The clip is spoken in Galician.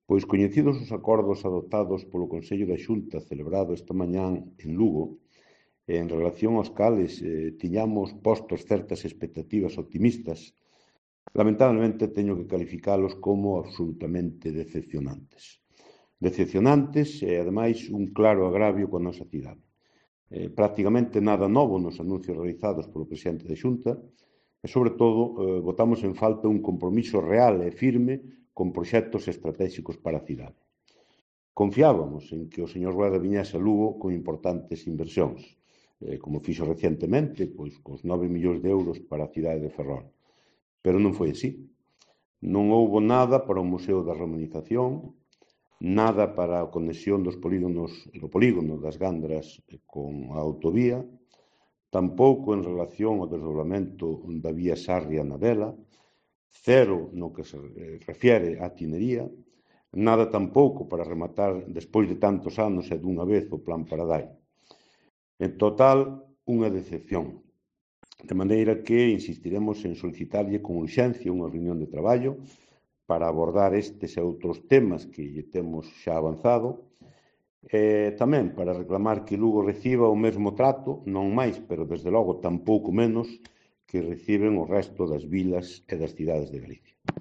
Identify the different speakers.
Speaker 1: Pois coñecidos os acordos adoptados polo Consello da Xunta celebrado esta mañán en Lugo, en relación aos cales tiñamos postos certas expectativas optimistas, lamentablemente teño que calificalos como absolutamente decepcionantes. Decepcionantes e, ademais, un claro agravio coa nosa cidade. Prácticamente nada novo nos anuncios realizados polo presidente da Xunta e, sobre todo, botamos en falta un compromiso real e firme con proxectos estratégicos para a cidade. Confiábamos en que o señor Rueda viñese a Lugo con importantes inversións, como fixo recientemente, pois cos 9 millóns de euros para a cidade de Ferrol. Pero non foi así. Non houbo nada para o Museo da Romanización, nada para a conexión do polígono das Gandras con a autovía, tampouco en relación ao desdobramento da vía Sarria-Nadela, cero no que se refiere á tinería, nada tampouco para rematar, despois de tantos anos e dunha vez, o Plan Paradai. En total, unha decepción. De maneira que insistiremos en solicitarlle con urxencia unha reunión de traballo para abordar estes e outros temas que lle temos xa avanzado, e tamén para reclamar que Lugo reciba o mesmo trato, non máis, pero desde logo tampouco menos, que reciben o resto das vilas e das cidades de Galicia.